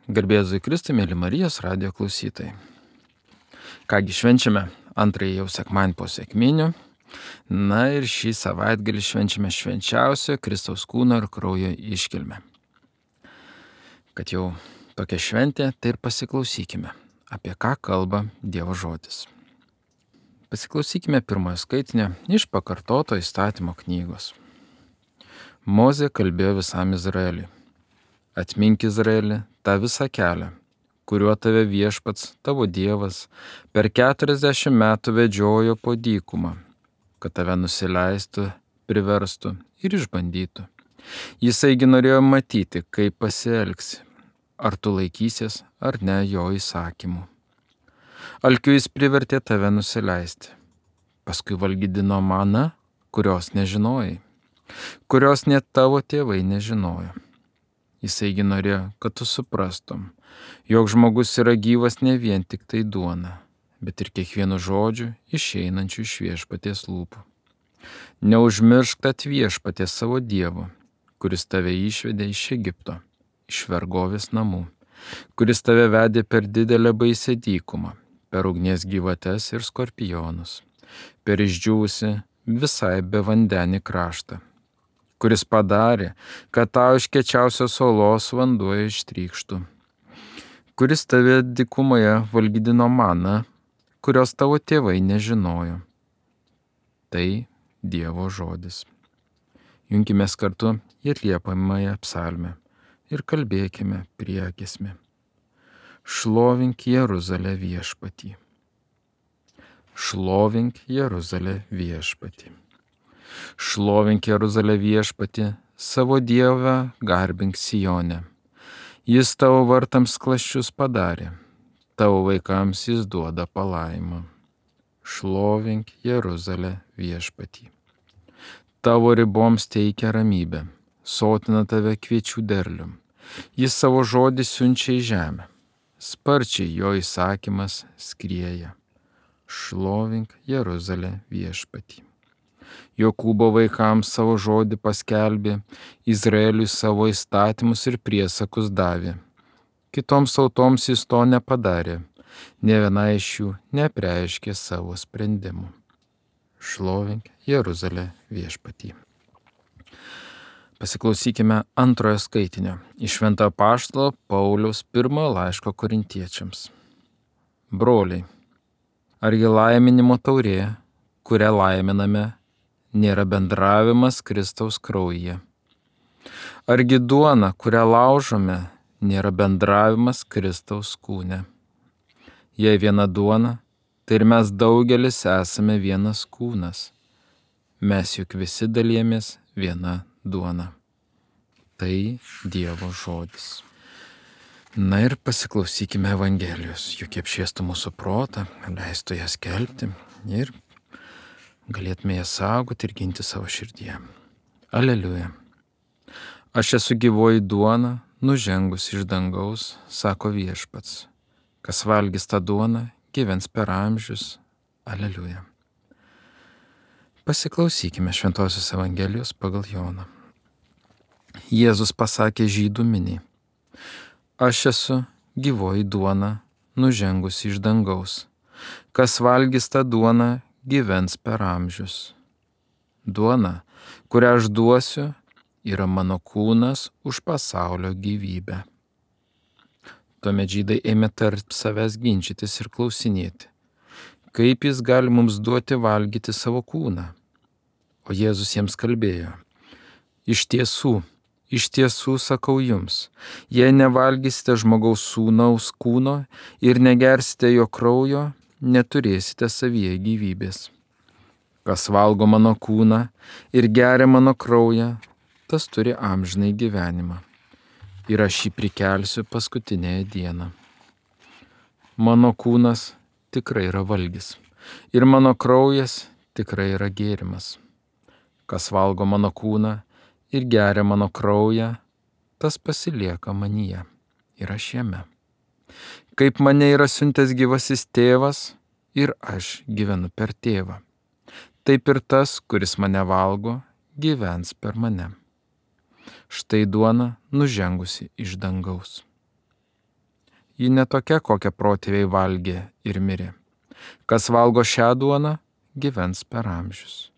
Garbėzui Kristui, mėly Marijos radijo klausytojai. Kągi švenčiame antrąjį jau sekmadienį po sekminių. Na ir šį savaitgalį švenčiame švenčiausio Kristaus kūno ir kraujo iškilmę. Kad jau tokia šventė, tai ir pasiklausykime, apie ką kalba Dievo žodis. Pasiklausykime pirmojo skaitinio iš pakartoto įstatymo knygos. Mozė kalbėjo visam Izraeliui. Atmink Izraelį tą visą kelią, kuriuo tave Viešpats, tavo Dievas, per 40 metų vedžiojo po dykumą, kad tave nusileistų, priverstų ir išbandytų. Jisaigi norėjo matyti, kaip pasielgsi, ar tu laikysies ar ne jo įsakymų. Alkiu jis privertė tave nusileisti, paskui valgydino maną, kurios nežinojai, kurios net tavo tėvai nežinojo. Jisaigi norėjo, kad tu suprastum, jog žmogus yra gyvas ne vien tik tai duona, bet ir kiekvienu žodžiu išeinančiu iš Viešpaties lūpų. Neužmiršk tad Viešpaties savo Dievo, kuris tave išvedė iš Egipto, iš vergovės namų, kuris tave vedė per didelę baisę dykumą, per ugnies gyvates ir skorpionus, per išdžiūvusi visai bevandenį kraštą, kuris padarė, kad tau iš kiečiausios olos vanduo ištrykštų, kuris tave dykumoje valgydino maną, kurios tavo tėvai nežinojo. Tai Dievo žodis. Junkimės kartu į atliepamąją psalmę ir kalbėkime priegiesmį. Šlovink Jeruzalę viešpatį. Šlovink Jeruzalę viešpatį. Šlovink Jeruzalę viešpatį, savo Dievą garbink Sione. Jis tavo vartams klaščius padarė, tavo vaikams jis duoda palaimą. Šlovink Jeruzalę viešpatį. Tavo riboms teikia ramybę, sotina tave kviečių derlium. Jis savo žodį siunčia į žemę, sparčiai jo įsakymas skrieja. Šlovink Jeruzalę viešpatį. Jokūbo vaikams savo žodį paskelbė, Izraeliui savo įstatymus ir priesakus davė. Kitoms tautoms jis to nepadarė, nė viena iš jų neapreiškė savo sprendimų. Šlovink Jeruzalę viešpatį. Pasiklausykime antrojo skaitinio iš Šventojo Apaštalo Pauliaus pirmojo laiško Korintiečiams. Broliai, argi laiminimo taurė, kurią laiminame, nėra bendravimas Kristaus kraujyje? Argi duona, kurią laužome, nėra bendravimas Kristaus kūne? Jei viena duona, tai ir mes daugelis esame vienas kūnas. Mes juk visi dalijamės viena duona. Tai Dievo žodis. Na ir pasiklausykime Evangelijos, juk apšviestų mūsų protą, leistų ją skelbti ir galėtume ją saugoti ir ginti savo širdyje. Aleliuja. Aš esu gyvoji duona, nužengus iš dangaus, sako Viešpats. Kas valgys tą duoną, gyvens per amžius. Aleliuja. Pasiklausykime Šventosios Evangelijos pagal Joną. Jėzus pasakė žydų miniai. Aš esu gyvoji duona, nužengus iš dangaus. Kas valgys tą duoną, gyvens per amžius. Duona, kurią aš duosiu, yra mano kūnas už pasaulio gyvybę. Tuomet žydai ėmė tarp savęs ginčytis ir klausinėti, kaip jis gali mums duoti valgyti savo kūną. O Jėzus jiems kalbėjo, iš tiesų sakau jums, jei nevalgysite žmogaus sūnaus kūno ir negersite jo kraujo, neturėsite savyje gyvybės. Kas valgo mano kūną ir geria mano kraują, tas turi amžinai gyvenimą. Ir aš jį prikelsiu paskutinėje dieną. Mano kūnas tikrai yra valgis ir mano kraujas tikrai yra gėrimas. Kas valgo mano kūną ir geria mano kraują, tas pasilieka manyje ir aš jame. Kaip mane yra siuntęs gyvasis tėvas ir aš gyvenu per tėvą. Taip ir tas, kuris mane valgo, gyvens per mane. Štai duona nužengusi iš dangaus. ji ne tokia, kokią protėviai valgė ir mirė. Kas valgo šią duoną, gyvens per amžius.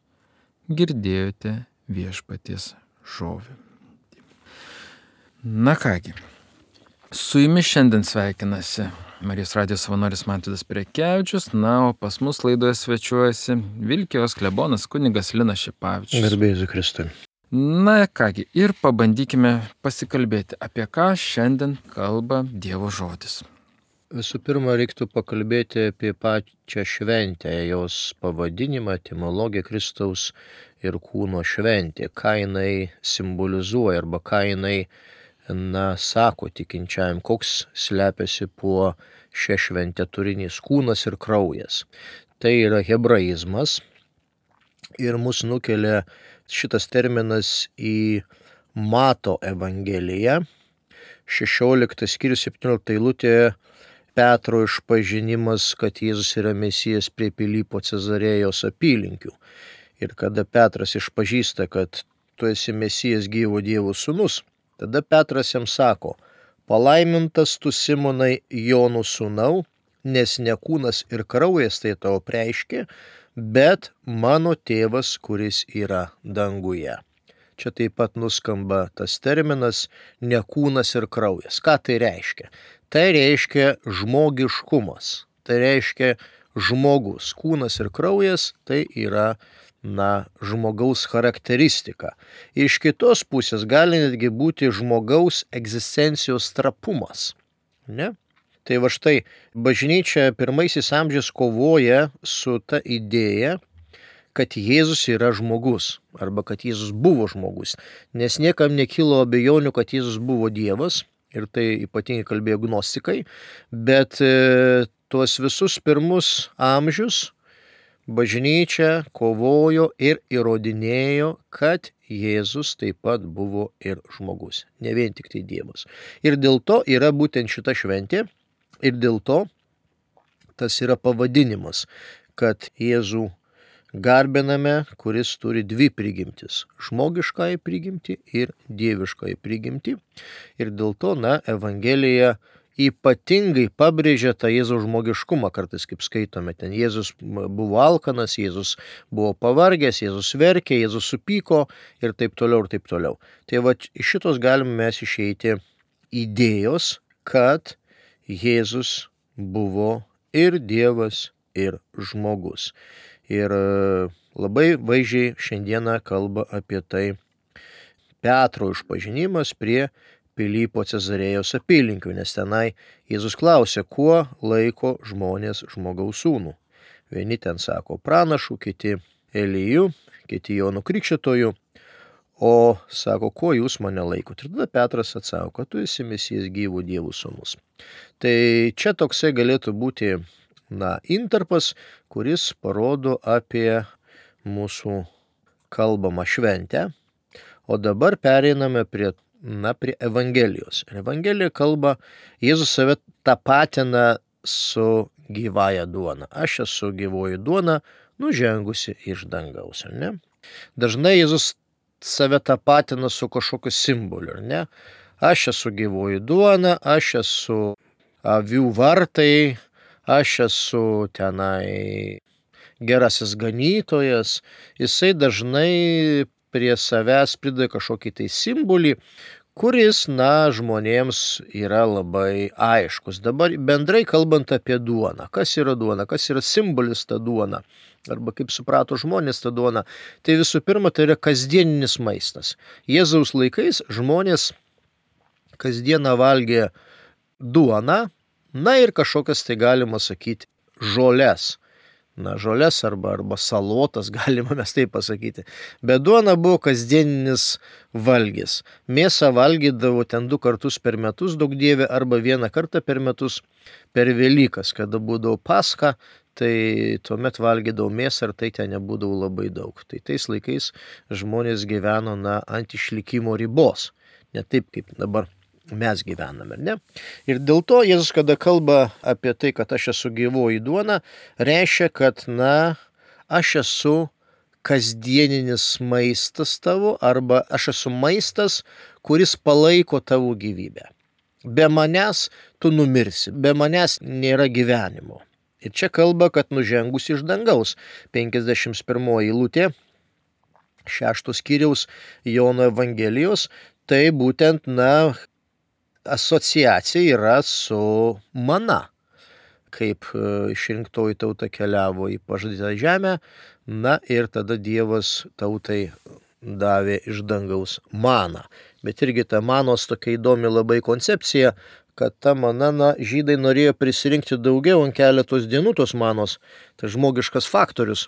Girdėjote viešpaties žodį. Na kągi, su jumis šiandien sveikinasi Marijos radijo savanoris Mantvydas Prekevičius, o pas mus laidoje svečiuojasi Vilkijos klebonas kunigas Linas Šipavičius. Garbė Jėzui Kristui. Na kągi, ir pabandykime pasikalbėti, apie ką šiandien kalba Dievo žodis. Visų pirma, reiktų pakalbėti apie pačią šventę, jos pavadinimą, etimologiją Kristaus ir kūno šventė, ką jinai simbolizuoja arba ką jinai sako tikinčiajam, koks slepiasi po šią šventę turinys kūnas ir kraujas. Tai yra hebraizmas ir mus nukelia šitas terminas į Mato evangeliją, 16 skyrius 17 eilutė. Petro išpažinimas, kad Jėzus yra Mesijas prie Pilypo Cezarėjos apylinkių. Ir kada Petras išpažįsta, kad tu esi Mesijas gyvo Dievo sūnus, tada Petras jam sako, palaimintas tu Simonai Jonų sūnau, nes ne kūnas ir kraujas tai tau preiškė, bet mano tėvas, kuris yra danguje. Čia taip pat nuskamba tas terminas ne kūnas ir kraujas. Ką tai reiškia? Tai reiškia žmogiškumas, tai reiškia žmogus. Kūnas ir kraujas tai yra žmogaus charakteristika. Iš kitos pusės gali netgi būti žmogaus egzistencijos trapumas. Ne? Tai va štai, bažnyčia pirmaisiais amžiais kovoja su ta idėja, kad Jėzus yra žmogus, arba kad Jėzus buvo žmogus, nes niekam nekilo abejonių, kad Jėzus buvo Dievas, ir tai ypatingai kalbėjo gnostikai, bet tuos visus pirmus amžius bažnyčia kovojo ir įrodinėjo, kad Jėzus taip pat buvo ir žmogus, ne vien tik tai Dievas. Ir dėl to yra būtent šita šventė, ir dėl to tas yra pavadinimas, kad Jėzų garbiname, kuris turi dvi prigimtis - žmogiškąją prigimtį ir dieviškąją prigimtį. Ir dėl to, Evangelija ypatingai pabrėžia tą Jėzaus žmogiškumą, kartais kaip skaitome, ten Jėzus buvo alkanas, Jėzus buvo pavargęs, Jėzus verkė, Jėzus supyko ir taip toliau ir taip toliau. Tai va iš šitos galime mes išeiti idėjos, kad Jėzus buvo ir Dievas, ir žmogus. Ir labai vaizdžiai šiandieną kalba apie tai Petro išpažinimas prie Pilypo Cezarėjos apylinkių, nes tenai Jėzus klausė, kuo laiko žmonės žmogaus sūnų. Vieni ten sako pranašų, kiti Eliju, kiti Jonu Krikštytoju, o sako, kuo jūs mane laikote. Ir tada Petras atsako, kad tu esi Mesijas gyvo Dievo sūnus. Tai čia toksai galėtų būti intarpas, kuris parodo apie mūsų kalbamą šventę. O dabar pereiname prie Evangelijos. Ir Evangelija kalba, Jėzus save tapatina su gyvąja duona. Aš esu gyvoji duona, nužengusi iš dangaus, ar ne? Dažnai Jėzus save tapatina su kažkokiu simboliu, ar ne? Aš esu gyvoji duona, aš esu avių vartai, aš esu tenai gerasis ganytojas. Jisai dažnai prie savęs prideda kažkokį tai simbolį, kuris, žmonėms yra labai aiškus. Dabar bendrai kalbant apie duoną. Kas yra duona? Kas yra simbolis ta duona? Arba kaip suprato žmonės tą duoną? Tai visų pirma, tai yra kasdieninis maistas. Jėzaus laikais žmonės kasdieną valgė duoną, ir kažkokias tai galima sakyti žoles. Žoles arba salotas, galima mes taip pasakyti. Bet duona buvo kasdieninis valgis. Mėsą valgydavo ten 2 kartus per metus, daug dievė, arba 1 kartą per metus per Velykas, kada būdavo Paska, tai tuomet valgydavo mėsą ir tai ten nebūdavo labai daug. Tai tais laikais žmonės gyveno ant išlikimo ribos, ne taip kaip dabar mes gyvename, ne? Ir dėl to Jėzus, kada kalba apie tai, kad aš esu gyvoji duona, reiškia, kad, aš esu kasdieninis maistas tavo, arba aš esu maistas, kuris palaiko tavo gyvybę. be manęs tu numirsi, be manęs nėra gyvenimo. Ir čia kalba, kad nužengus iš dangaus. 51 eilutė 6 skyriaus Jono Evangelijos, tai būtent, asociacija yra su mana. Kaip išrinktoji tauta keliavo į pažadytą žemę, ir tada Dievas tautai davė iš dangaus maną. Bet irgi ta manos tokia įdomi labai koncepcija, kad ta mana, žydai norėjo prisirinkti daugiau ant keletos dienų tos manos, tai žmogiškas faktorius.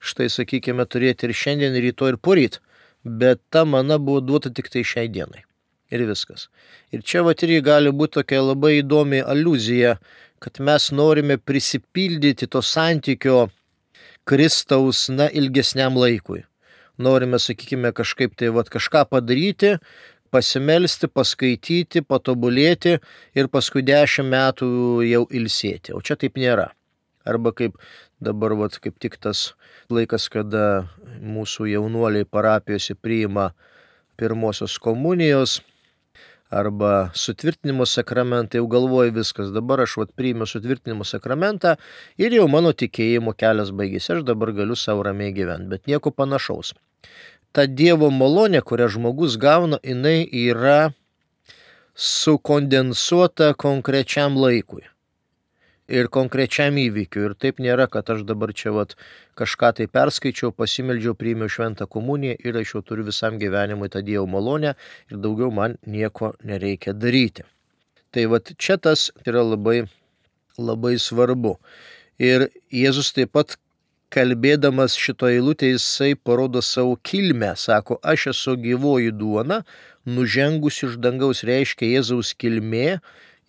Štai, sakykime, turėti ir šiandien, ir rytoj, ir poryt, bet ta mana buvo duota tik tai šiai dienai. Ir viskas. Ir čia irgi gali būti tokia labai įdomi aliuzija, kad mes norime prisipildyti to santykio Kristaus, ilgesniam laikui. Norime, sakykime, kažkaip tai kažką padaryti, pasimelsti, paskaityti, patobulėti ir paskui 10 metų jau ilsėti. O čia taip nėra. Arba kaip dabar, kaip tik tas laikas, kada mūsų jaunuoliai parapijose priima pirmosios komunijos arba sutvirtinimo sakramentą, jau galvoju viskas, dabar aš priimiu sutvirtinimo sakramentą ir jau mano tikėjimo kelias baigėsi, aš dabar galiu savo ramiai gyventi, bet nieko panašaus. Ta Dievo malonė, kurią žmogus gauna, jinai yra sukondensuota konkrečiam laikui ir konkrečiam įvykiui. Ir taip nėra, kad aš dabar čia kažką tai perskaičiau, pasimeldžiau, priėmiau šventą komuniją ir aš jau turiu visam gyvenimui tą Dievo malonę ir daugiau man nieko nereikia daryti. Tai čia tas yra labai, labai svarbu. Ir Jėzus taip pat, kalbėdamas šito eilutę, jisai parodo savo kilmę. Sako, aš esu gyvoji duona, nužengus iš dangaus. Reiškia, Jėzaus kilmė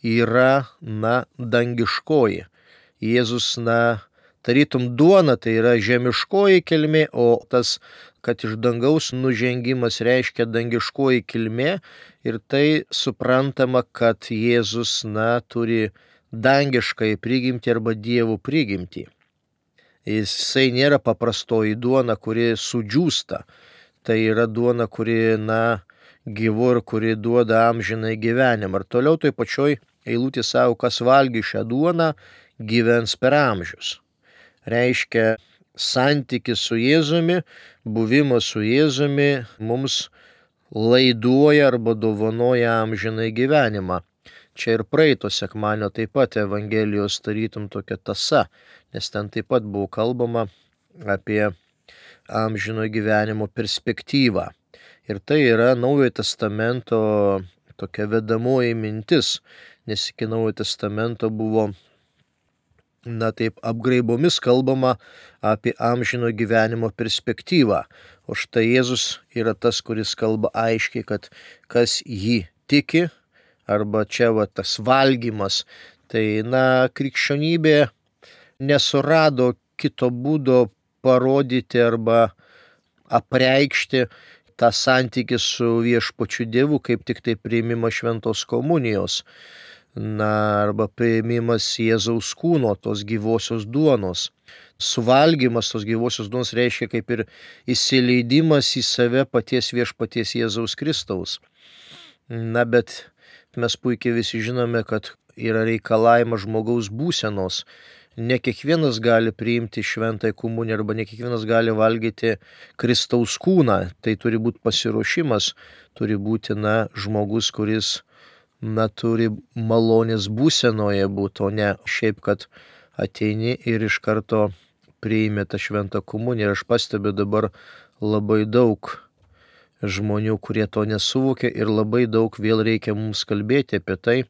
yra, dangiškoji. Jėzus, tarytum duona, tai yra žemiškoji kilmė, o tas, kad iš dangaus nužengimas reiškia dangiškoji kilmė. Ir tai suprantama, kad Jėzus, turi dangiškai prigimtį arba Dievo prigimtį. Jisai nėra paprastoji duona, kuri sudžiūsta. Tai yra duona, kuri, gyvo ir kuri duoda amžinai gyvenimą. Ir toliau toj pačioj eilutė savo, kas valgy šią duoną, gyvens per amžius. Reiškia, santykis su Jėzumi, buvimas su Jėzumi mums laiduoja arba dovanoja amžinai gyvenimą. Čia ir praeito sekmadienio taip pat Evangelijos tarytum tokia tąsa, nes ten taip pat buvo kalbama apie amžino gyvenimo perspektyvą. Ir tai yra Naujojo testamento tokia vedamoji mintis, nes iki Naujojo testamento buvo, taip apgraibomis kalbama apie amžino gyvenimo perspektyvą. O štai Jėzus yra tas, kuris kalba aiškiai, kad kas jį tiki, arba čia tas valgymas, tai krikščionybė nesurado kito būdo parodyti arba apreikšti tą santykį su viešpačiu Dievu, kaip tik tai priėmimas šventos komunijos, arba priėmimas Jėzaus kūno, tos gyvosios duonos. Suvalgymas tos gyvosios duonos reiškia kaip ir įsileidimas į save paties viešpaties Jėzaus Kristaus. Bet mes puikiai visi žinome, kad yra reikalavimas žmogaus būsenos. Ne kiekvienas gali priimti šventąją komuniją arba ne kiekvienas gali valgyti Kristaus kūną. Tai turi būti pasiruošimas, turi būti žmogus, kuris turi malonės būsenoje būti, o ne šiaip, kad ateini ir iš karto priimi tą šventą komuniją. Ir aš pastebiu dabar labai daug žmonių, kurie to nesuvokia ir labai daug vėl reikia mums kalbėti apie tai,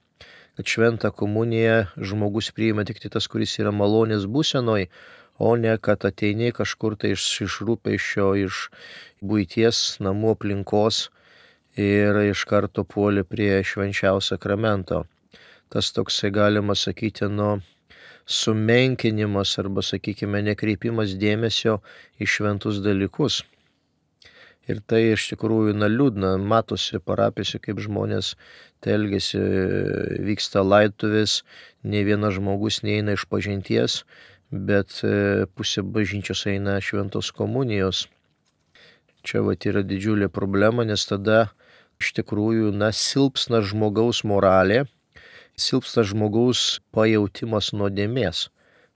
kad šventą komuniją žmogus priima tik tai tas, kuris yra malonės būsenoj, o ne kad ateini kažkur tai iš rūpesčio, iš buities, namų aplinkos ir iš karto puoli prie švenčiausio sakramento. Tas toksai, galima sakyti, sumenkinimas arba, sakykime, nekreipimas dėmesio į šventus dalykus. Ir tai iš tikrųjų liūdna, matosi parapijose, kaip žmonės elgiasi, vyksta laidotuvės, ne vienas žmogus neina iš pažinties, bet pusė bažnyčios eina šventos komunijos. Čia yra didžiulė problema, nes tada iš tikrųjų silpsna žmogaus moralė, silpsta žmogaus pajautimas nuodėmės.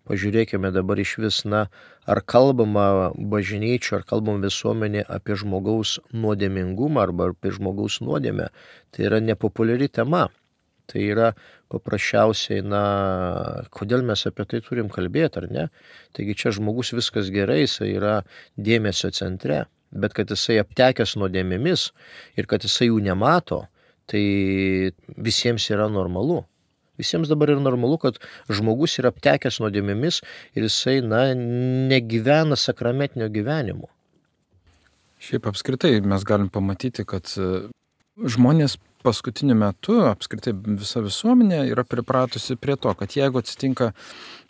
Pažiūrėkime dabar iš vis, ar kalbama bažnyčio, ar kalbama visuomenė apie žmogaus nuodėmingumą arba apie žmogaus nuodėmę. Tai yra nepopuliari tema. Tai yra paprasčiausiai, kodėl mes apie tai turim kalbėti, ar ne? Taigi čia žmogus viskas gerai, jisai yra dėmesio centre, bet kad jisai aptekęs nuodėmėmis ir kad jisai jų nemato, tai visiems yra normalu. Visiems dabar yra normalu, kad žmogus yra aptekęs nuodėmėmis ir jisai, negyvena sakramentinio gyvenimo. Šiaip apskritai mes galim pamatyti, kad žmonės paskutiniu metu, apskritai visa visuomenė yra pripratusi prie to, kad jeigu atsitinka,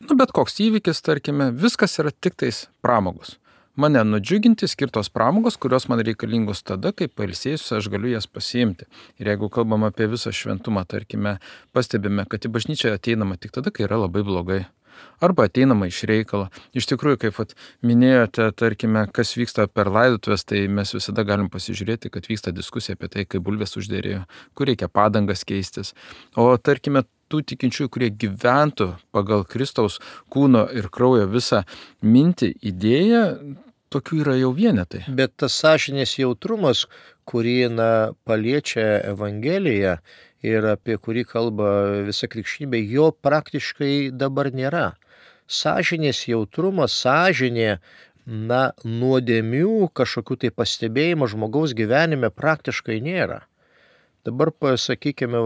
bet koks įvykis, tarkime, viskas yra tik tais pramogos. Mane nudžiuginti skirtos pramogos, kurios man reikalingos tada, kai pailsėjusi aš galiu jas pasiimti. Ir jeigu kalbam apie visą šventumą, tarkime, pastebime, kad į bažnyčią ateinama tik tada, kai yra labai blogai. Arba ateinama iš reikalo. Iš tikrųjų, kaip minėjote, tarkime, kas vyksta per laidotuvės, tai mes visada galim pasižiūrėti, kad vyksta diskusija apie tai, kaip bulvės užderėjo, kur reikia padangas keistis. O tarkime, tų tikinčiųjų, kurie gyventų pagal Kristaus kūno ir kraujo visą mintį, idėją, tokių yra jau vienetai. Bet tas sąžinės jautrumas, kurį paliečia Evangelija ir apie kurį kalba visa krikščionybė, jo praktiškai dabar nėra. Sąžinės jautrumas, sąžinė, nuodėmių kažkokių tai pastebėjimų žmogaus gyvenime praktiškai nėra. Dabar pasakykime,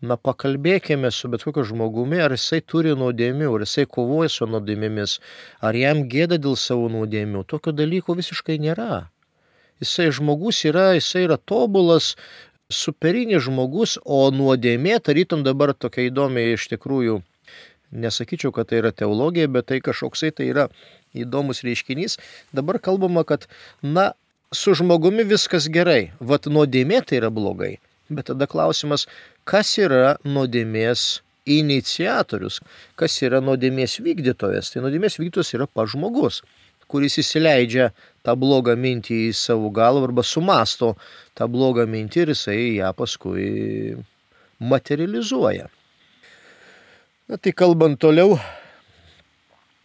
pakalbėkime su bet kokiu žmogumi, ar jisai turi nuodėmių, ar jisai kovoja su nuodėmėmis, ar jam gėda dėl savo nuodėmių. Tokio dalyko visiškai nėra. Žmogus yra tobulas, superinis žmogus, o nuodėmė, tarytum dabar tokia įdomi iš tikrųjų, nesakyčiau, kad tai yra teologija, bet tai kažkoksai tai yra įdomus reiškinys. Dabar kalbama, kad su žmogumi viskas gerai, nuodėmė tai yra blogai. Bet tada klausimas, kas yra nuodėmės iniciatorius, kas yra nuodėmės vykdytojas. Tai nuodėmės vykdytojas yra pats žmogus, kuris įsileidžia tą blogą mintį į savo galvą arba sumasto tą blogą mintį ir jisai ją paskui materializuoja. Tai kalbant toliau,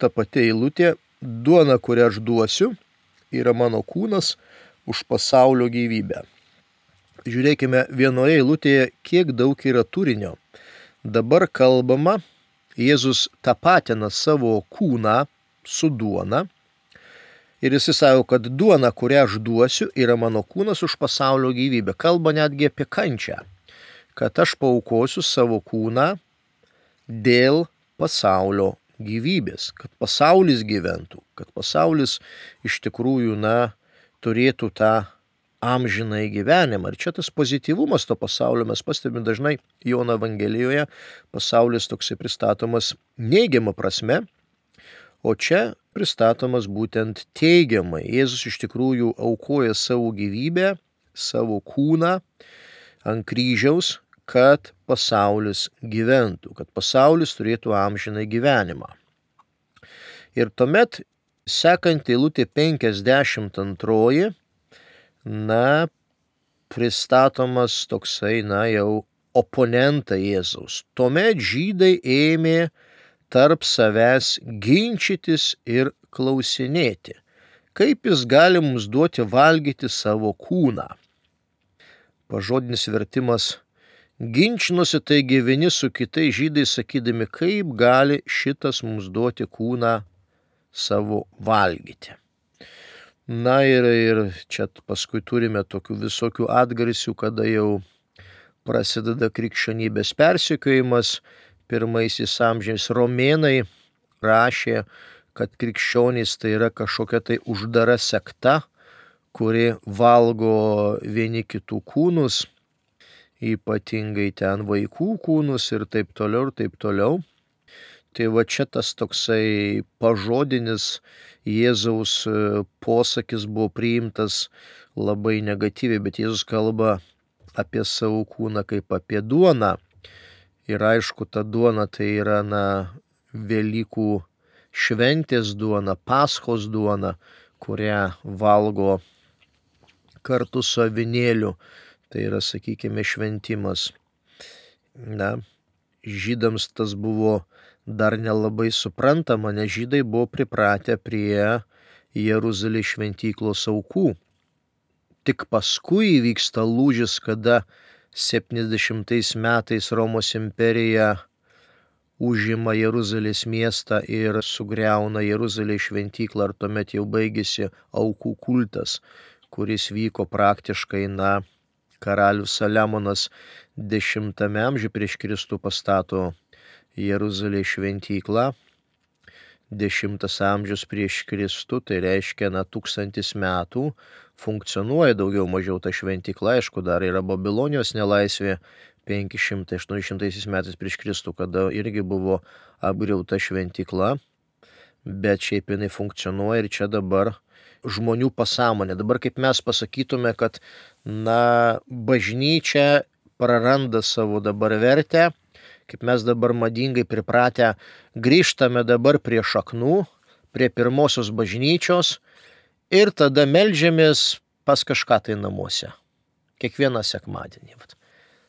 ta pati eilutė, duona, kurią aš duosiu, yra mano kūnas už pasaulio gyvybę. Žiūrėkime, vienoje eilutėje, kiek daug yra turinio. Dabar kalbama, Jėzus tapatina savo kūną su duona ir jis sako, kad duona, kurią aš duosiu, yra mano kūnas už pasaulio gyvybę. Kalba netgi apie kančią, kad aš paaukosiu savo kūną dėl pasaulio gyvybės, kad pasaulis gyventų, kad pasaulis iš tikrųjų, turėtų tą amžinai gyvenimą. Ir čia tas pozityvumas to pasaulio mes pastebime dažnai Jono Evangelijoje, pasaulis toksai pristatomas neigiama prasme, o čia pristatomas būtent teigiamai. Jėzus iš tikrųjų aukoja savo gyvybę, savo kūną ant kryžiaus, kad pasaulis gyventų, kad pasaulis turėtų amžinai gyvenimą. Ir tuomet sekant eilutė 52, pristatomas toksai, jau oponentai Jėzaus. Tuomet žydai ėmė tarp savęs ginčytis ir klausinėti, kaip jis gali mums duoti valgyti savo kūną. Pažodinis vertimas: ginčinosi taigi vieni su kitais žydai, sakydami, kaip gali šitas mums duoti kūną savo valgyti. Ir čia paskui turime tokių visokių atgarsių, kada jau prasideda krikščionybės persekiojimas. Pirmaisiais amžiais romėnai rašė, kad krikščionys tai yra kažkokia tai uždara sekta, kuri valgo vieni kitų kūnus, ypatingai ten vaikų kūnus ir taip toliau, ir taip toliau. Tai čia tas toksai pažodinis Jėzaus posakis buvo priimtas labai negatyviai, bet Jėzus kalba apie savo kūną kaip apie duoną. Ir aišku, ta duona tai yra Velykų šventės duona, Paschos duona, kurią valgo kartu su avinėliu. Tai yra, sakykime, šventimas. žydams tas buvo dar nelabai suprantama, nes žydai buvo pripratę prie Jeruzalės šventyklos aukų. Tik paskui įvyksta lūžis, kada 70 metais Romos imperija užima Jeruzalės miestą ir sugriauna Jeruzalės šventyklą, ir tuomet jau baigėsi aukų kultas, kuris vyko praktiškai, karalius Saliamonas 10 amžiuje prieš Kristų pastato Jeruzalės šventyklą. 10 amžius prieš Kristų, tai reiškia 1000 metų funkcionuoja daugiau mažiau ta šventykla. Aišku, dar yra Babilonijos nelaisvė 500-800 metais prieš Kristų, kada irgi buvo apgriauta šventykla, bet šiaip jinai funkcionuoja ir čia dabar žmonių pasąmonė. Dabar kaip mes pasakytume, kad bažnyčia praranda savo dabar vertę, kaip mes dabar madingai pripratę, grįžtame dabar prie šaknų, prie pirmosios bažnyčios ir tada meldžiamės pas kažką tai namuose. Kiekvieną sekmadienį.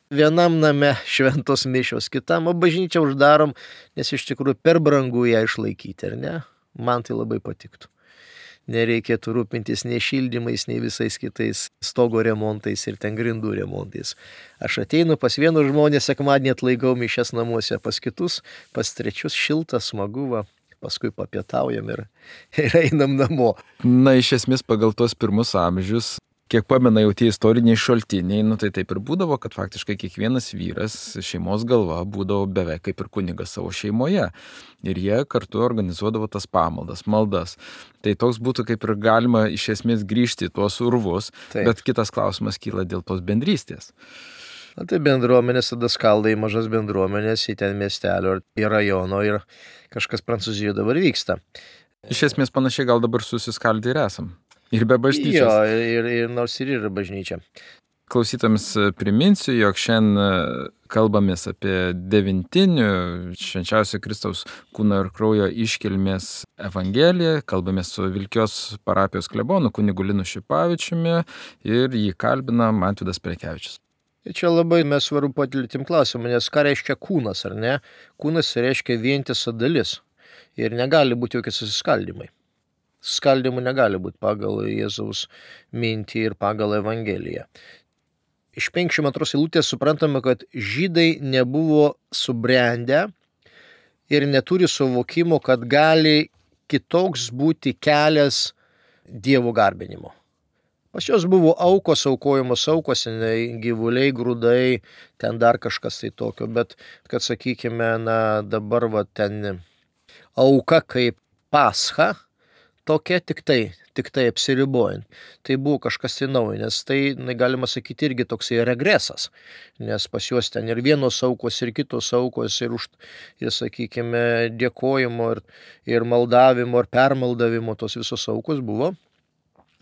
Vienam name šventos mišios, kitam, o bažnyčią uždarom, nes iš tikrųjų per brangu ją išlaikyti, ar ne? Man tai labai patiktų. Nereikėtų rūpintis nei šildymais, nei visais kitais stogo remontais ir ten grindų remontais. Aš ateinu pas vienus žmonės, sekmadienį atlaikau mišias namuose, pas kitus, pas trečius šilta, smagu, paskui papietaujam ir einam namo. Iš esmės pagal tos pirmus amžius, kiek pamena jau tie istoriniai šaltiniai, tai taip ir būdavo, kad faktiškai kiekvienas vyras, šeimos galva, būdavo beveik kaip ir kunigas savo šeimoje. Ir jie kartu organizuodavo tas pamaldas, maldas. Tai toks būtų kaip ir galima iš esmės grįžti į tuos urvus, taip. Bet kitas klausimas kyla dėl tos bendrystės. Tai bendruomenės tada skalda į mažas bendruomenės, į ten miestelio, į rajono ir kažkas Prancūzijoje dabar vyksta. Iš esmės panašiai gal dabar susiskaldę ir esam. Ir be bažnyčios. Jo, ir nors ir yra bažnyčia. Klausytams priminsiu, jog šiandien kalbamės apie devintinių švenčiausio Kristaus kūno ir kraujo iškilmės evangeliją. Kalbamės su Vilkios parapijos klebonu kunigu Linu Šipavičiumi ir jį kalbina Mantvydas Prekevičius. Ir čia labai mes svarbu patiltim klausimą, nes ką reiškia kūnas, ar ne? Kūnas reiškia vientisa dalis ir negali būti jokie susiskaldymai. Skaldimų negali būti pagal Jėzaus mintį ir pagal Evangeliją. Iš 52 eilutės suprantame, kad žydai nebuvo subrendę ir neturi suvokimo, kad gali kitoks būti kelias Dievo garbinimo. Pas juos buvo aukos, aukojamos aukos, gyvuliai, grūdai, ten dar kažkas tai tokio, bet kad sakykime, dabar ten auka kaip Pascha, tokia tik tai apsiribojant. Tai buvo kažkas tai naujo, nes tai, galima sakyti, irgi toksai regresas, nes pas juos ten ir vienos aukos, ir kitos aukos, ir sakykime, dėkojimo, ir maldavimo, ir permaldavimo, tos visos aukos buvo.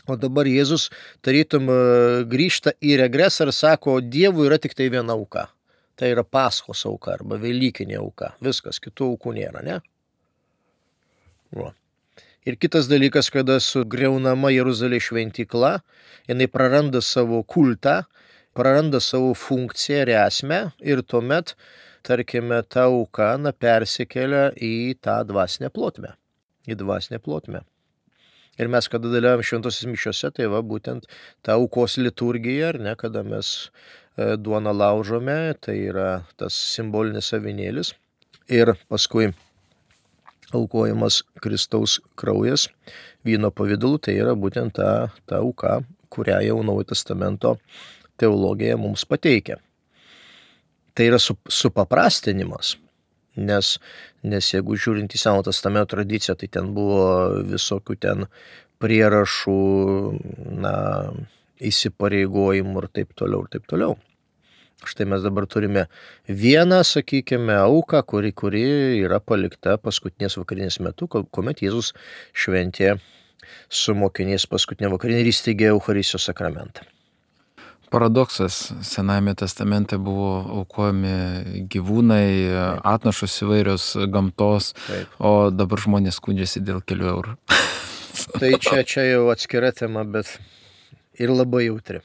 O dabar Jėzus tarytum grįžta į regresą ir sako, Dievui yra tik tai viena auka. Tai yra Paschos auka arba Velykinė auka. Viskas, kitų aukų nėra, ne? Ir kitas dalykas, kada sugriaunama Jeruzalės šventykla, jinai praranda savo kultą, praranda savo funkciją ir esmę ir tuomet, tarkime, ta auka persikelia į tą dvasinę plotmę. Ir mes, kada dalyvaujam šventosios mišiose, tai būtent ta aukos liturgija, ar ne, kada mes duoną laužome, tai yra tas simbolinis avinėlis ir paskui aukojamas Kristaus kraujas vyno pavidalu, tai yra būtent ta auka, kurią jau Naujojo Testamento teologija mums pateikia. Tai yra supaprastinimas, nes jeigu žiūrint į Senojo Testamento tradiciją, tai ten buvo visokių ten prierašų, įsipareigojimų ir taip toliau. Štai mes dabar turime vieną, sakykime, auką, kuri yra palikta paskutinės vakarinės metu, kuomet Jėzus šventė su mokiniais paskutinę vakarinę ir įsteigė Eucharistijos sakramentą. Paradoksas, Senajame testamente buvo aukojami gyvūnai, atnašos įvairios gamtos, taip. O dabar žmonės skundžiasi dėl kelių eurų. Tai čia jau atskira tema, bet ir labai jautri.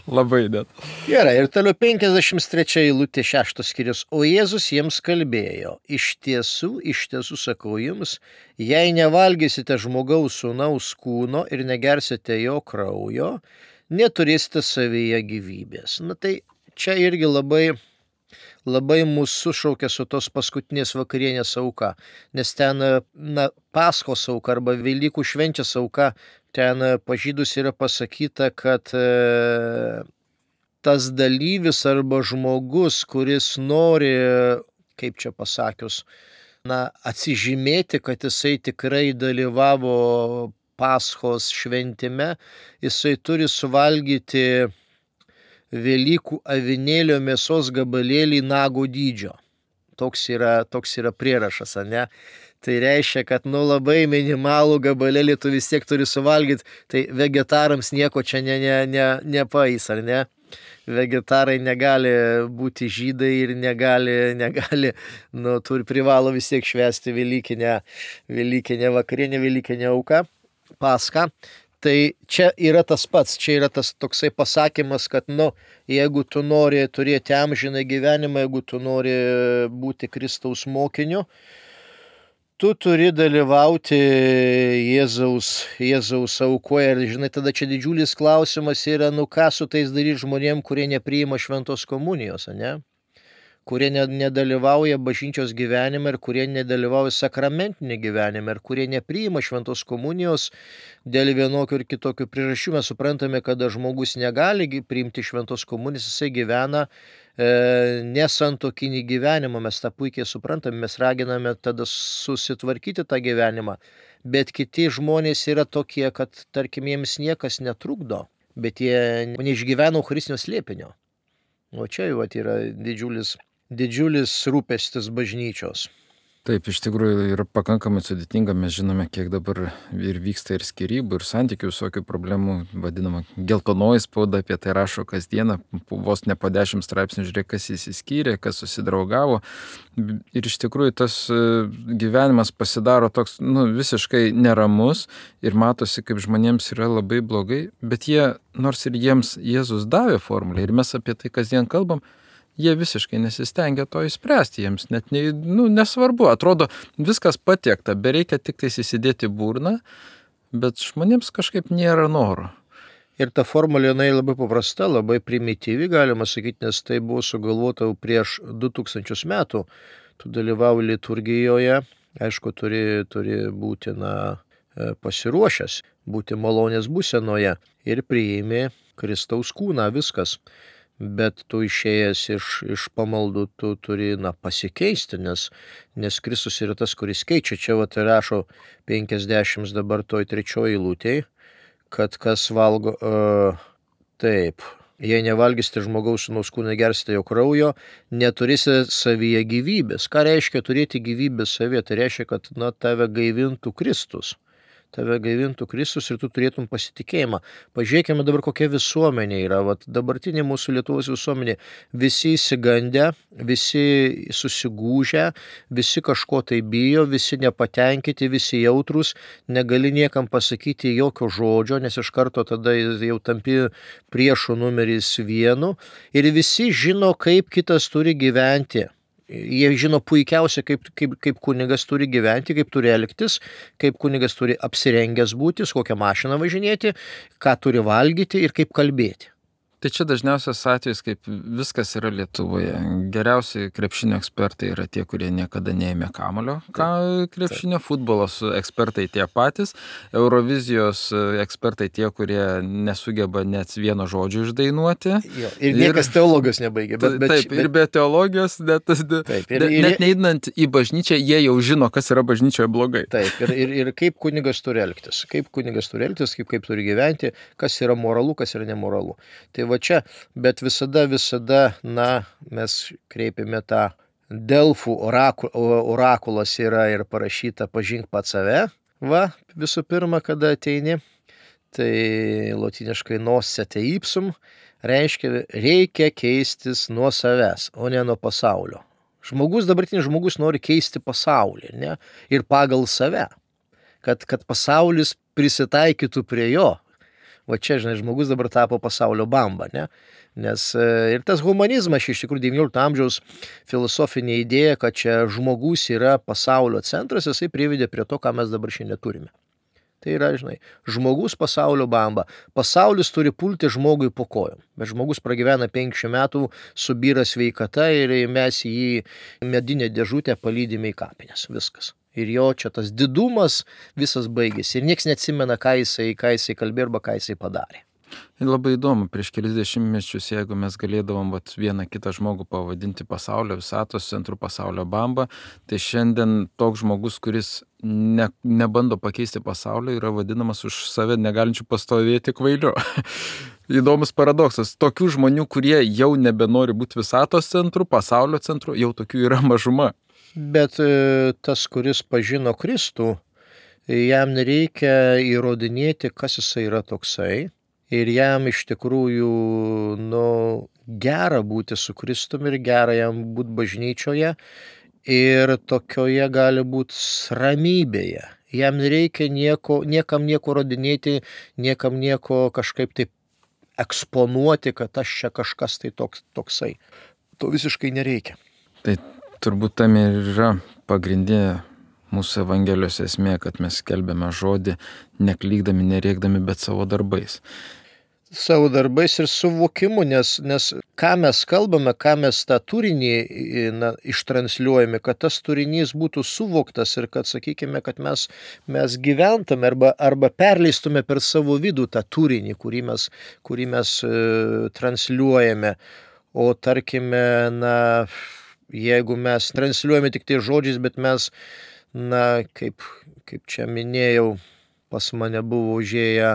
Labai net. Gerai, ir toliau 53 eilutė 6 skyrius. O Jėzus jiems kalbėjo, iš tiesų sakau jums, jei nevalgysite žmogaus sūnaus kūno ir negersite jo kraujo, neturėsite savyje gyvybės. Na tai čia irgi labai mūsų sušaukia su tos paskutinės vakarienės auka, nes ten Paskos auka arba Velykų švenčias auka, ten pažydus yra pasakyta, kad tas dalyvis arba žmogus, kuris nori, kaip čia pasakius, atsižymėti, kad jisai tikrai dalyvavo Paschos šventime, jisai turi suvalgyti Velykų avinėlio mėsos gabalėlį nago dydžio. Toks yra prierašas, ne? Tai reiškia, kad labai minimalų gabalėlį tu vis tiek turi suvalgyti, tai vegetarams nieko čia nepaeis, ar ne? Vegetarai negali būti žydai ir negali, privalo vis tiek švęsti Velykinę vakarienę, Velykinę auką, Paschą. Tai čia yra tas pats, čia yra tas toksai pasakymas, kad jeigu tu nori turėti amžiną gyvenimą, jeigu tu nori būti Kristaus mokiniu, tu turi dalyvauti Jėzaus aukoje. Ir žinai, tada čia didžiulis klausimas yra, ką su tais daryti žmonėm, kurie nepriima šventos komunijos, ne? Kurie nedalyvauja bažnyčios gyvenime ir kurie nedalyvauja sakramentinė gyvenime ir kurie nepriima šventos komunijos dėl vienokių ir kitokių priežasčių. Mes suprantame, kada žmogus negali priimti šventos komunijos, jisai gyvena nesantuokinį gyvenimą, mes tą puikiai suprantame, mes raginame tada susitvarkyti tą gyvenimą, bet kiti žmonės yra tokie, kad tarkim jiems niekas netrukdo, bet jie neišgyvena Eucharistinio slėpinio. O čia jau yra didžiulis rūpestis bažnyčios. Taip, iš tikrųjų yra pakankamai sudėtinga, mes žinome, kiek dabar ir vyksta ir skyrybų, ir santykių visokių problemų, vadinama geltonoji spauda, apie tai rašo kasdieną, vos ne po 10 straipsnių žiūrėk, kas įsiskyrė, kas susidraugavo. Ir iš tikrųjų tas gyvenimas pasidaro toks visiškai neramus ir matosi, kaip žmonėms yra labai blogai, bet jie, nors ir jiems Jėzus davė formulę ir mes apie tai kasdien kalbam, jie visiškai nesistengia to išspręsti, jiems net nesvarbu, atrodo viskas patiekta, bereikia tik tais įsidėti burną, bet žmonėms kažkaip nėra noro. Ir ta formulė labai paprasta, labai primityvi, galima sakyti, nes tai buvo sugalvota prieš 2000 metų. Tu dalyvauji liturgijoje, aišku, turi būti pasiruošęs, būti malonės būsenoje ir priimi Kristaus kūną, viskas. Bet tu išėjęs iš pamaldų, tu turi pasikeisti, nes Kristus yra tas, kuris keičia. Čia rašo 50 dabar toj 3 eilutėj, kad kas valgo, taip, jei nevalgysite žmogaus sūnaus kūną, negersite jo kraujo, neturėsite savyje gyvybės. Ką reiškia turėti gyvybę savyje? Tai reiškia, kad tave gaivintų Kristus. Tave gaivintų Kristus ir tu turėtum pasitikėjimą. Pažiūrėkime dabar, kokia visuomenė yra. Dabartinė mūsų Lietuvos visuomenė. Visi įsigandę, visi susigūžę, visi kažko tai bijo, visi nepatenkinti, visi jautrus. Negali niekam pasakyti jokio žodžio, nes iš karto tada jau tampi priešų numeris 1. Ir visi žino, kaip kitas turi gyventi. Jie žino puikiausiai, kaip kunigas turi gyventi, kaip turi elgtis, kaip kunigas turi apsirengęs būti, su kokią mašiną važinėti, ką turi valgyti ir kaip kalbėti. Tai čia dažniausias atvejis, kaip viskas yra Lietuvoje. Geriausi krepšinio ekspertai yra tie, kurie niekada neėmė kamuolio. Krepšinio futbolos ekspertai tie patys, Eurovizijos ekspertai tie, kurie nesugeba net vieno žodžio išdainuoti. Jo, ir niekas teologijos nebaigė. Ir be teologijos, net neįdant į bažnyčią, jie jau žino, kas yra bažnyčioje blogai. Taip, ir kaip kunigas turi elgtis, kaip kaip turi gyventi, kas yra moralu, kas yra nemoralu. Tai va čia, bet visada, mes kreipiame tą Delfų orakulas yra ir parašyta pažink pats save. Visų pirma, kada ateini, tai lotyniškai nosete ipsum, reikia keistis nuo savęs, o ne nuo pasaulio. Dabartinis žmogus nori keisti pasaulį, ne? Ir pagal save, kad pasaulis prisitaikytų prie jo. Va čia, žinai, žmogus dabar tapo pasaulio bamba, ne? Nes ir tas humanizmas, iš tikrųjų 19 amžiaus filosofinė idėja, kad čia žmogus yra pasaulio centras, jisai privedė prie to, ką mes dabar šiandien turime. Tai yra, žinai, žmogus pasaulio bamba. Pasaulis turi pulti žmogui po kojom. Bet žmogus pragyvena 50 metų, subyra sveikata ir mes jį medinę dėžutę palydime į kapines. Viskas. Ir jo čia tas didumas visas baigėsi. Ir nieks neatsimena, ką jisai kalbėjo arba ką jisai padarė. Ir labai įdomu, prieš kelis dešimtmečius, jeigu mes galėdavom vieną kitą žmogų pavadinti pasaulio visatos centru, pasaulio bamba, tai šiandien toks žmogus, kuris nebando pakeisti pasaulio, yra vadinamas už save negalinčių pastovėti kvailiu. Įdomus paradoksas. Tokių žmonių, kurie jau nebenori būti visatos centru, pasaulio centru, jau tokių yra mažuma. Bet tas, kuris pažino Kristų, jam nereikia įrodinėti, kas jisai yra toksai. Ir jam iš tikrųjų gera būti su Kristumi ir gera jam būti bažnyčioje ir tokioje gali būti ramybėje. Jam nereikia niekam nieko rodinėti, niekam nieko kažkaip taip eksponuoti, kad aš čia kažkas tai toksai. To visiškai nereikia. Tai turbūt tam ir yra pagrindinė mūsų Evangelijos esmė, kad mes skelbiame žodį, neklydami, nerėkdami, bet savo darbais. Savo darbais ir suvokimu, nes ką mes kalbame, ką mes tą turinį ištransliuojame, kad tas turinys būtų suvoktas ir kad, sakykime, kad mes gyventume arba perleistume per savo vidų tą turinį, kurį mes transliuojame. O tarkime, jeigu mes transliuojame tik tai žodžiais, bet mes kaip čia minėjau, pas mane buvo užėję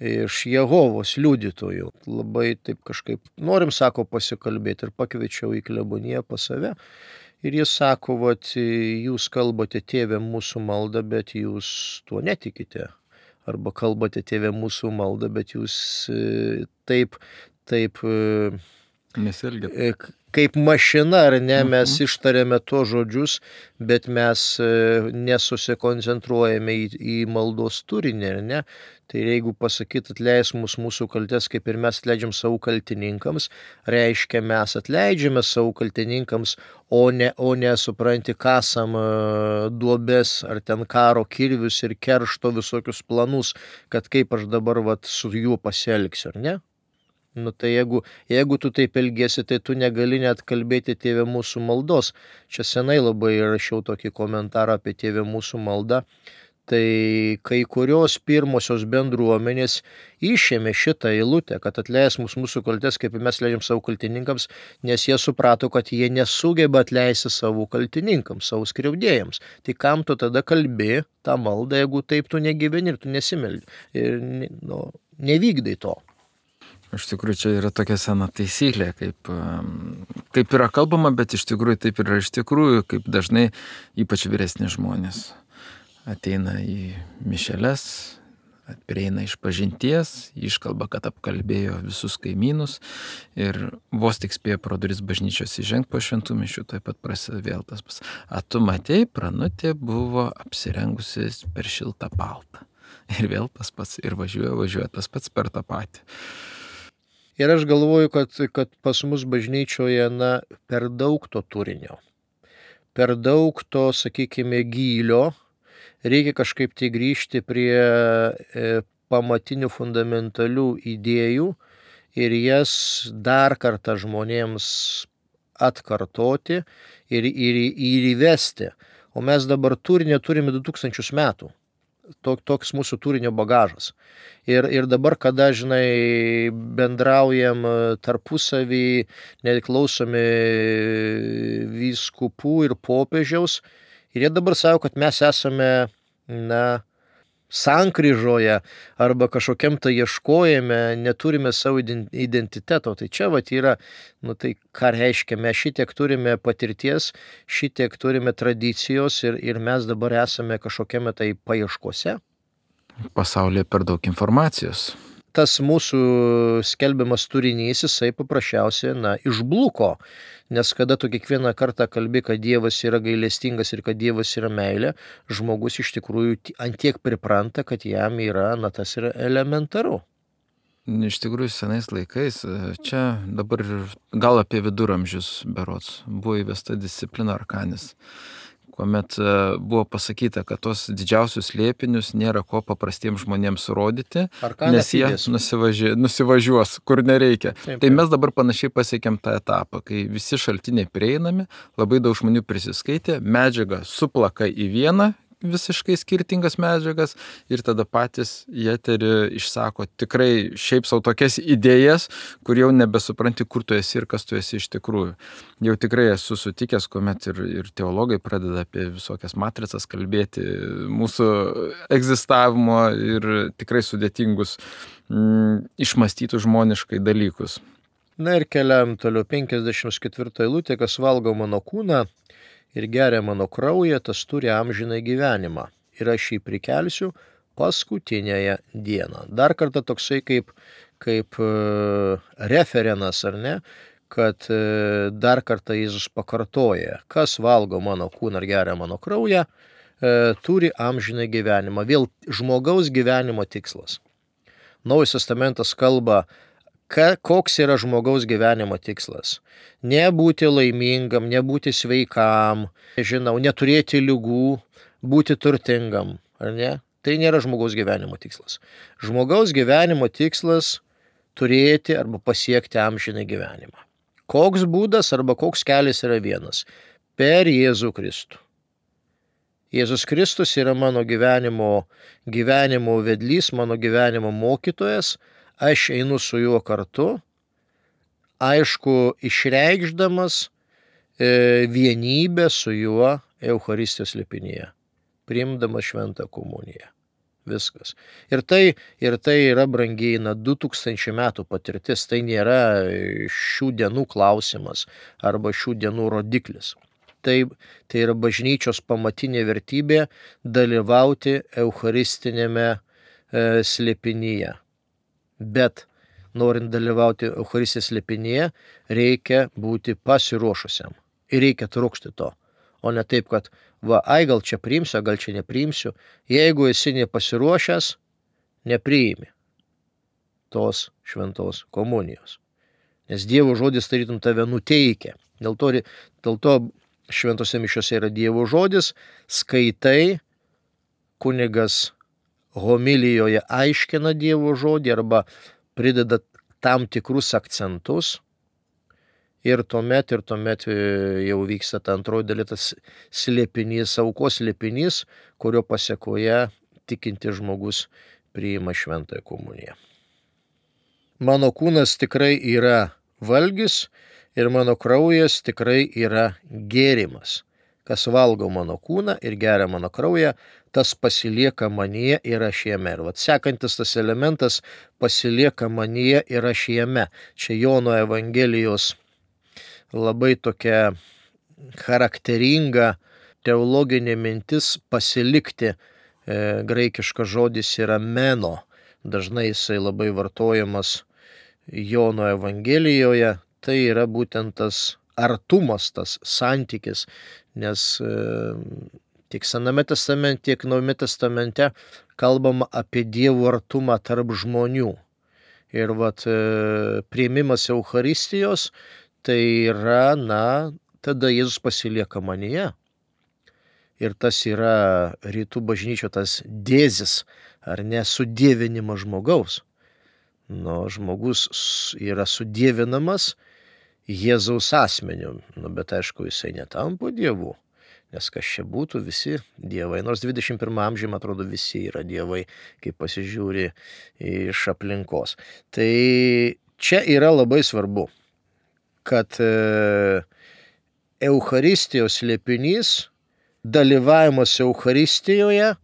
iš Jehovos liudytojų. Labai taip kažkaip norim, sako, pasikalbėti ir pakviečiau į kleboniją pas save. Ir jis sako, jūs kalbate Tėve mūsų maldą, bet jūs tuo netikite. Arba kalbate Tėve mūsų maldą, bet jūs taip nesielgiate. Kaip mašina, ar ne, mes ištariame to žodžius, bet mes nesusikoncentruojame į maldos turinį, ar ne? Tai jeigu pasakyt atleis mūsų kaltes, kaip ir mes atleidžiam savo kaltininkams, reiškia mes atleidžiame savo kaltininkams, o ne supranti, kasam duobes ar ten karo kirvius ir keršto visokius planus, kad kaip aš dabar su juo pasielgsiu, ar ne? Tai jeigu tu taip elgiesi, tai tu negali net kalbėti Tėve mūsų maldos. Čia senai labai rašiau tokį komentarą apie Tėve mūsų maldą. Tai kai kurios pirmosios bendruomenės išėmė šitą eilutę, kad atleis mūsų kaltes, kaip mes leidžiam savo kaltininkams, nes jie suprato, kad jie nesugeba atleisti savo kaltininkams, savo skriaudėjams. Tai kam tu tada kalbi tą maldą, jeigu taip tu negyveni ir tu nesimeldi ir nevykdai to. Iš tikrųjų, čia yra tokia sena taisyklė, kaip yra kalbama, bet iš tikrųjų taip yra iš tikrųjų, kaip dažnai ypač vyresni žmonės ateina į mišeles, prieina iš pažinties, iškalba, kad apkalbėjo visus kaimynus ir vos tik spėjo pro duris bažnyčios įžengti po šventų mišių, taip pat prasideda vėl tas pats. A tu matei, Pranutė buvo apsirengusi per šiltą paltą. Ir vėl tas pats, ir važiuoja tas pats per tą patį. Ir aš galvoju, kad pas mus bažnyčioje per daug to turinio, per daug to, sakykime, gylio, reikia kažkaip tai grįžti prie pamatinių fundamentalių idėjų ir jas dar kartą žmonėms atkartoti ir įvesti. O mes dabar turinio turime 2000 metų. Toks mūsų turinio bagažas. Ir dabar, kada, žinai, bendraujam tarpusavį, neklausomi vyskupų ir popiežiaus, ir jie dabar sako, kad mes esame, sankryžoje arba kažkokiam tai ieškojime, neturime savo identiteto. Tai čia yra, tai ką reiškia, mes šitiek turime patirties, šitiek turime tradicijos ir mes dabar esame kažkokiame tai paieškose. Pasaulyje per daug informacijos. Tas mūsų skelbiamas turinys, jisai paprasčiausiai, išbluko. Nes kada tu kiekvieną kartą kalbi, kad Dievas yra gailestingas ir kad Dievas yra meilė, žmogus iš tikrųjų antiek pripranta, kad jam yra, tas yra elementaru. Iš tikrųjų, senais laikais, čia dabar gal apie viduramžius berods, buvo įvesta disciplina arkanis, kuomet buvo pasakyta, kad tos didžiausius slėpinius nėra ko paprastiems žmonėms rodyti, Arkana nes jie fides. nusivažiuos, kur nereikia. Taip, Tai taip. mes dabar panašiai pasiekėm tą etapą, kai visi šaltiniai prieinami, labai daug žmonių prisiskaitė, medžiaga suplaka į vieną visiškai skirtingas medžiagas ir tada patys į eterį išsako tikrai šiaip sau tokias idėjas, kur jau nebesupranti, kur tu esi ir kas tu esi iš tikrųjų. Jau tikrai esu sutikęs, kuomet ir teologai pradeda apie visokias matricas kalbėti, mūsų egzistavimo ir tikrai sudėtingus išmąstytų žmoniškai dalykus. Na ir keliam toliau 54 eilutė, kas valgo mano kūną ir geria mano kraują, tas turi amžinai gyvenimą. Ir aš jį prikelsiu paskutinėje dieną. Dar kartą toksai kaip referenas, ar ne, kad dar kartą Jėzus pakartoja, kas valgo mano kūną ir geria mano kraują, turi amžinai gyvenimą. Vėl žmogaus gyvenimo tikslas. Naujas testamentas kalba, koks yra žmogaus gyvenimo tikslas. Nebūti laimingam, nebūti sveikam, neturėti ligų, būti turtingam, ar ne? Tai nėra žmogaus gyvenimo tikslas. Žmogaus gyvenimo tikslas turėti arba pasiekti amžinai gyvenimą. Koks būdas arba koks kelias yra vienas? Per Jėzų Kristų. Jėzus Kristus yra mano gyvenimo vedlys, mano gyvenimo mokytojas. Aš einu su juo kartu, aišku, išreikšdamas vienybę su juo Eucharistijos slėpinyje, priimdamas šventą komuniją. Viskas. Ir tai yra, brangiai, 2000 metų patirtis, tai nėra šių dienų klausimas arba šių dienų rodiklis. Tai yra bažnyčios pamatinė vertybė dalyvauti Eucharistinėme slėpinyje. Bet norint dalyvauti Eucharistijos slėpinyje, reikia būti pasiruošusiam. Ir reikia trokšti to. O ne taip, kad gal čia priimsiu, gal čia nepriimsiu. Jeigu esi nepasiruošęs, nepriimi tos šventos komunijos. Nes Dievo žodis tarytum tave nuteikia. Dėl to šventose mišiose yra Dievo žodis, skaitai, kunigas homilijoje aiškina Dievo žodį arba prideda tam tikrus akcentus ir tuomet jau vyksta ta antroji dalis, tas slėpinys, aukos slėpinys, kurio pasekoje tikintis žmogus priima šventąją komuniją. Mano kūnas tikrai yra valgis ir mano kraujas tikrai yra gėrimas. Kas valgo mano kūną ir geria mano kraują, tas pasilieka manyje ir aš jame. Ir sekantis tas elementas pasilieka manyje ir aš jame. Čia Jono Evangelijos labai tokia charakteringa teologinė mintis pasilikti. Graikiškas žodis yra meno. Dažnai jisai labai vartojamas Jono Evangelijoje. Tai yra būtent tas artumas, tas santykis, nes tiek Sename testamente, tiek Naujame testamente kalbama apie Dievo artumą tarp žmonių. Ir priėmimas Eucharistijos, tai yra, tada Jėzus pasilieka manyje. Ir tas yra rytų bažnyčio tas dėzis, ar ne, sudievinimas žmogaus. Žmogus yra sudievinamas Jėzaus asmeniu, bet aišku, jisai netampa Dievu, nes kas čia būtų, visi dievai, nors 21 amžiuje, atrodo, visi yra dievai, kai pasižiūri iš aplinkos. Tai čia yra labai svarbu, kad Eucharistijos slėpinys, dalyvavimas Eucharistijoje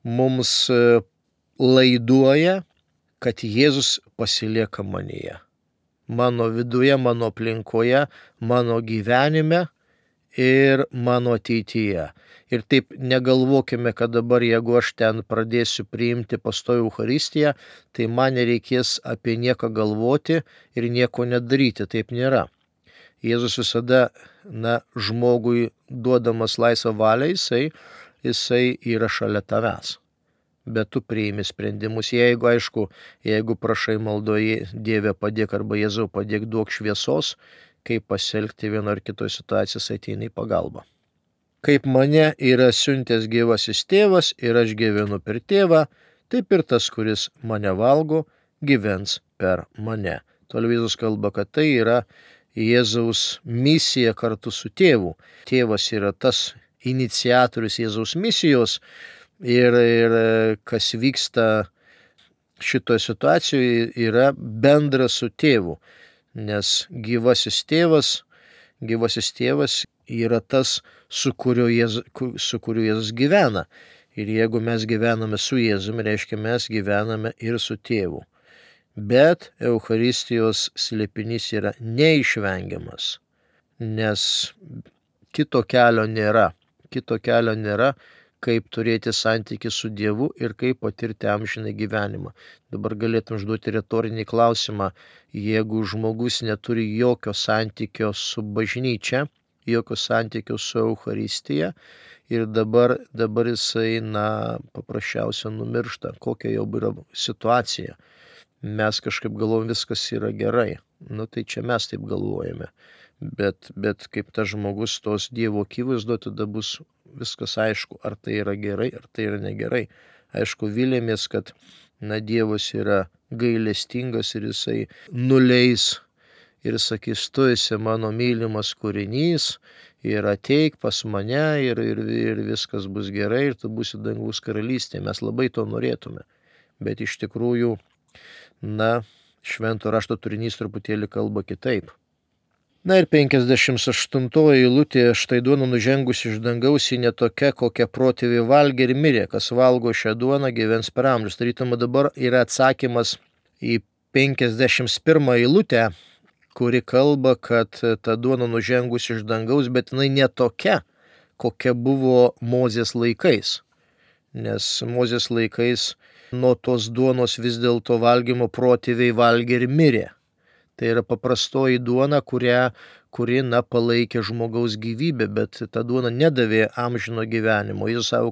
mums laiduoja, kad Jėzus pasilieka manyje. Mano viduje, mano aplinkoje, mano gyvenime ir mano ateityje. Ir taip negalvokime, kad dabar, jeigu aš ten pradėsiu priimti pastoviai Eucharistiją, tai man nereikės apie nieką galvoti ir nieko nedaryti. Taip nėra. Jėzus visada, žmogui duodamas laisvą valią, jisai yra šalia tavęs. bet tu priimi sprendimus. Jeigu prašai maldoje Dieve padėk arba Jėzau padėk, duok šviesos, kaip pasielgti vieno ar kitoje situacijoje, ateina į pagalbą. Kaip mane yra siuntęs gyvasis tėvas ir aš gyvenu per tėvą, taip ir tas, kuris mane valgo, gyvens per mane. Toliau Jėzus kalba, kad tai yra Jėzaus misija kartu su tėvu. Tėvas yra tas iniciatorius Jėzaus misijos ir kas vyksta šitoje situacijoje yra bendra su tėvu, nes gyvasis tėvas yra tas, su kuriuo Jėzus gyvena. Ir jeigu mes gyvename su Jėzumi, reiškia mes gyvename ir su tėvu. Bet Eucharistijos slėpinys yra neišvengiamas, nes kito kelio nėra, kaip turėti santykį su Dievu ir kaip patirti amžiną gyvenimą. Dabar galėtum užduoti retorinį klausimą, jeigu žmogus neturi jokio santykio su bažnyčia, jokio santykio su Eucharistija ir dabar jisai, paprasčiausiai numiršta, kokia jau yra situacija. Mes kažkaip galvojam, viskas yra gerai. Tai čia mes taip galvojame. Bet kaip tas žmogus tos Dievo akivaizdoje, tada bus viskas aišku, ar tai yra gerai, ar tai yra negerai. Aišku, vilėmės, kad Dievas yra gailestingas ir jisai nuleis ir sakys, tu esi mano mylimas kūrinys ir ateik pas mane ir viskas bus gerai ir tu būsi dangaus karalystėje. Mes labai to norėtume. Bet iš tikrųjų, švento rašto turinys truputėlį kalba kitaip. Ir 58 eilutė, štai duona nužengusi iš dangaus, ji netokia, kokią protėviai valgė ir mirė. Kas valgo šią duoną, gyvens per amžius. Tarytum dabar yra atsakymas į 51 eilutę, kuri kalba, kad ta duona nužengusi iš dangaus, bet jinai netokia, kokia buvo Mozės laikais. Nes Mozės laikais nuo tos duonos vis dėlto valgymo protėviai valgė ir mirė. Tai yra paprastoji duona, kuri palaikė žmogaus gyvybę, bet ta duona nedavė amžino gyvenimo. Jėzus sako,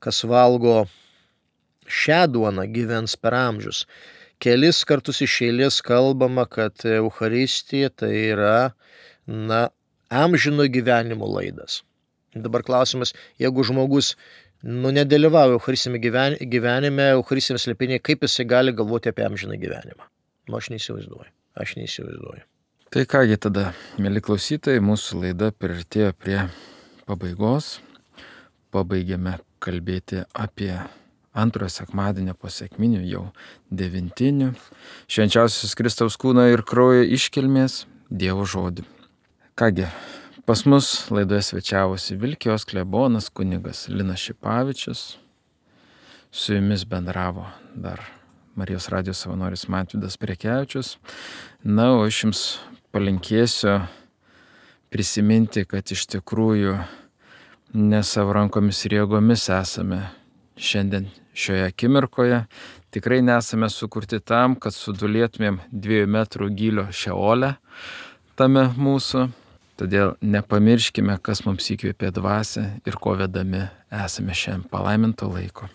kas valgo šią duoną, gyvens per amžius. Kelis kartus iš eilės kalbama, kad Eucharistija tai yra amžino gyvenimo laidas. Dabar klausimas, jeigu žmogus nedalyvauja Eucharistiniame gyvenime, Eucharistiniame slėpinyje, kaip jisai gali galvoti apie amžiną gyvenimą? Aš neįsivaizduoju. Tai kągi tada, mėly klausytojai, mūsų laida priartėjo prie pabaigos. Pabaigėme kalbėti apie antrojo sekmadienio po sekminių, jau devintinių, švenčiausios Kristaus kūno ir kraujo iškilmės Dievo žodį. Kągi, pas mus laidoje svečiavosi Vilkijos klebonas kunigas Linas Šipavičius. Su jumis bendravo dar Marijos radijos savanoris Mantvydas Prekevičius. O aš jums palinkėsiu prisiminti, kad iš tikrųjų ne savo rankomis ir jėgomis esame šiandien šioje akimirkoje. Tikrai nesame sukurti tam, kad sudulėtumėm 2 metrų gylio šeole tame mūsų. Todėl nepamirškime, kas mums įkvėpė dvasią ir ko vedami esame šiandien. Palaiminto laiko.